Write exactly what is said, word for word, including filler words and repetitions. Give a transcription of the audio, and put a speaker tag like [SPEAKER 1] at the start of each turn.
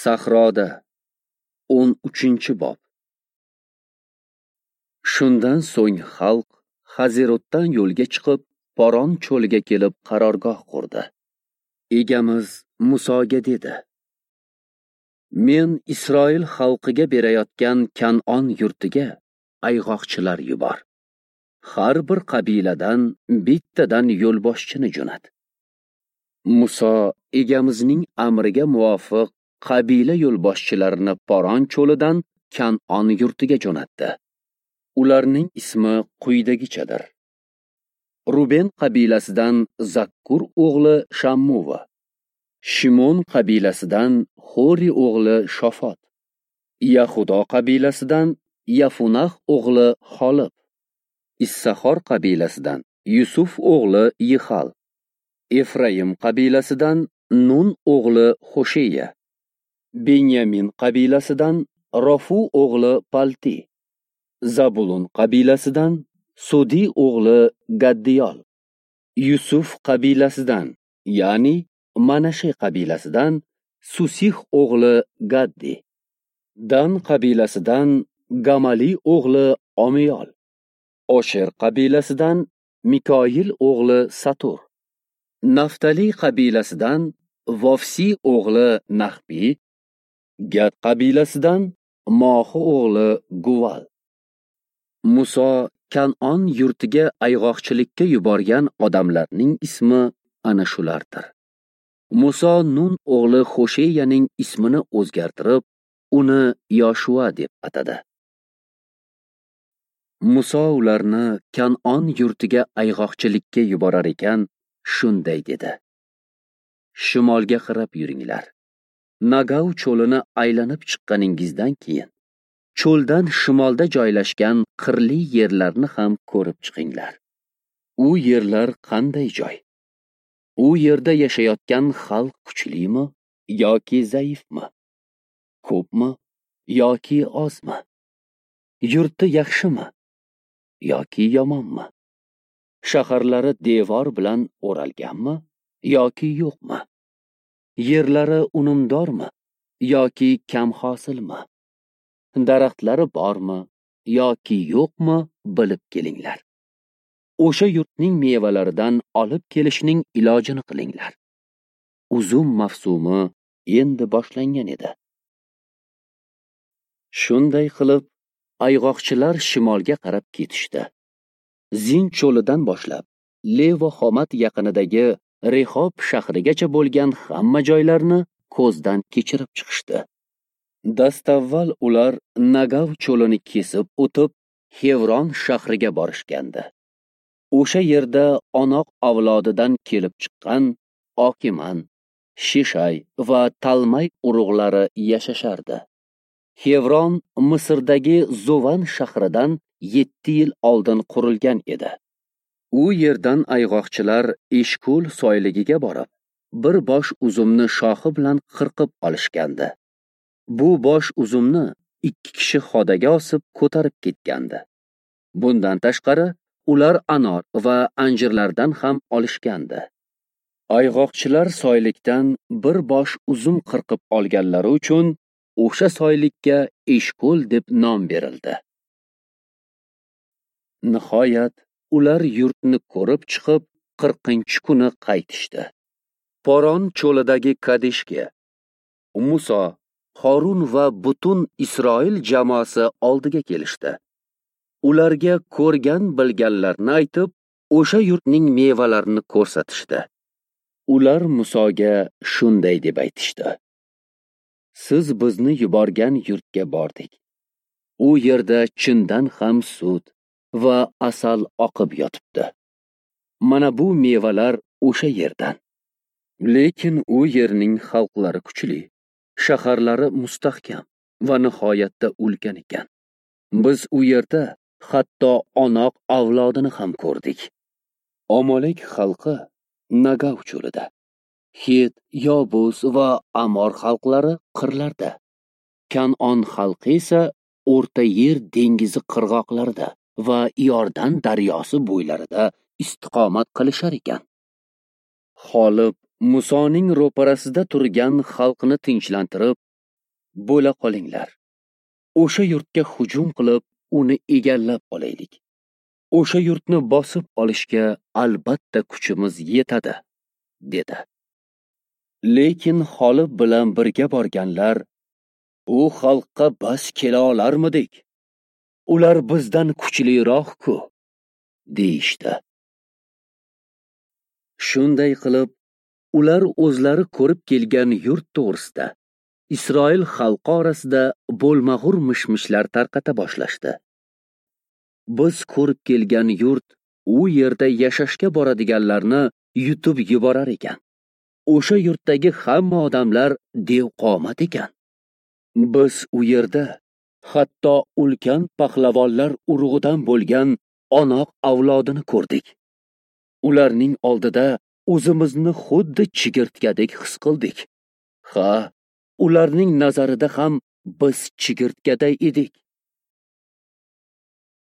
[SPEAKER 1] Sahroda o'n uchinchi bob. Shundan so'ng xalq Hazirotdan yo'lga chiqib, Poron cho'liga kelib qarorgoh qurdi. Egamiz Musoga dedi: Men Isroil xalqiga berayotgan Kan'on yurtiga ayg'oqchilar yubor. Har bir qabiladan bittadan yo'lboshchini jo'nat. Muso egamizning amriga muvofiq qabila yo'lboshchilarini Poron cho'lidan Kan'on yurtiga jo'natdi. Ularning ismi quyidagichadir. Ruben qabilasidan Zakkur o'g'li Shammuva, Shimon qabilasidan Xori o'g'li Shofot, Yahudo qabilasidan Yafunah o'g'li Xolib, Issahor qabilasidan Yusuf o'g'li Yixal, Efraim qabilasidan Nun o'g'li Hosheya, Benyamin qabilasidan Rofu o'g'li Palti, Zabulun qabilasidan Sudi o'g'li Gaddiyol, Yusuf qabilasidan, ya'ni Manashe qabilasidan Susih o'g'li Gaddi, Dan qabilasidan Gamali o'g'li Omiyol, Osher qabilasidan Mikoyil o'g'li Satur, Naftali qabilasidan Vofsi o'g'li Nahbi, Gad qabilasidan Mohi o'g'li Guval. Muso Kan'on yurtiga ayg'oqchilikka yuborgan odamlarning ismi ana shulardir. Muso Nun o'g'li Hosheyaning ismini o'zgartirib, uni Yoshua deb atadi. Muso ularni Kan'on yurtiga ayg'oqchilikka yuborar ekan, shunday dedi: Shimolga qarab yuringlar. Nagav cho'lini aylanib chiqqaningizdan keyin cho'ldan shimolda joylashgan qirli yerlarni ham ko'rib chiqinglar. U yerlar qanday joy? U yerda yashayotgan xalq kuchlimi yoki zaifmi? Ko'pmi yoki ozmi? Yurti yaxshimi yoki yomonmi? Shaharlari devor bilan o'ralganmi yoki yo'qmi? Yerlari unumdormi yoki kam hosilmi? Daraxtlari bormi yoki yo'qmi bilib kelinglar. O'sha yurtning mevalaridan olib kelishning ilojini qilinglar. Uzum mavsumi endi boshlangan edi. Shunday qilib, ayg'oqchilar shimolga qarab ketishdi. Zin cho'lidan boshlab Levo Xomat yaqinidagi Rehob shahrigacha bo'lgan hamma joylarni ko'zdan kechirib chiqishdi. Dastavval ular Nagav cho'lini kesib o'tib, Xevron shahriga borishgandi. O'sha yerda Onoq avlodidan kelib chiqqan Okiman, Shishay va Talmay urug'lari yashashardi. Xevron Misrdagi Zovan shahridan yetti yil oldin qurilgan edi. U yerdan ayg'oqchilar Eshkol soyligiga borib, bir bosh uzumni shoxi bilan qirqib olishgandi. Bu bosh uzumni ikki kishi xodaga osib ko'tarib ketgandi. Bundan tashqari, ular anor va anjirlardan ham olishgandi. Ayg'oqchilar soylikdan bir bosh uzum qirqib olganlari uchun o'sha soylikka Eshkol deb nom berildi. Nihoyat ular yurtni ko'rib chiqib, qirqinchi kuni qaytishdi. Poron cho'lidagi Kadeshga Muso, Horun va butun Isroil jamoasi oldiga kelishdi. Ularga ko'rgan bilganlarini aytib, o'sha yurtning mevalarini ko'rsatishdi. Ular Musoga shunday deb aytishdi: Siz bizni yuborgan yurtga bordik. U yerda chindan ham sut va asal oqib yotibdi. Mana bu mevalar o'sha yerdan. Lekin u yerning xalqlari kuchli, shaharlari mustahkam va nihoyatda ulkan ekan. Biz u yerda hatto Onoq avlodini ham ko'rdik. Omolek xalqi Nagav cho'lida, Het, Yobus va Amor xalqlari qirlarda, Kan'on xalqi esa O'rta Yer dengizi qirg'oqlarida va Iordan daryosi bo'ylarida istiqomat qilishar ekan. Xolib Musoning ro'parasida turgan xalqni tinchlantirib, Bo'la qolinglar. O'sha yurtga hujum qilib, uni egallab olaylik. O'sha yurtni bosib olishga albatta kuchimiz yetadi, dedi. Lekin Xolib bilan birga borganlar, u xalqqa bas kela olarmidik? Ular bizdan kuchliroq-ku, deyishdi. Shunday qilib, ular o'zlari ko'rib kelgan yurt to'g'risida Isroil xalqi orasida bo'lmag'ur mishmishlar tarqata boshlashdi. Biz ko'rib kelgan yurt u yerda yashashga boradiganlarni yutib yuborar ekan. O'sha yurtdagi hamma odamlar devqomat ekan. Biz u yerda hatto ulkan pahlavonlar urug'idan bo'lgan Onoq avlodini ko'rdik. Ularning oldida o'zimizni xuddi chigirtkadek his qildik. Ha, ularning nazarida ham biz chigirtkaday edik.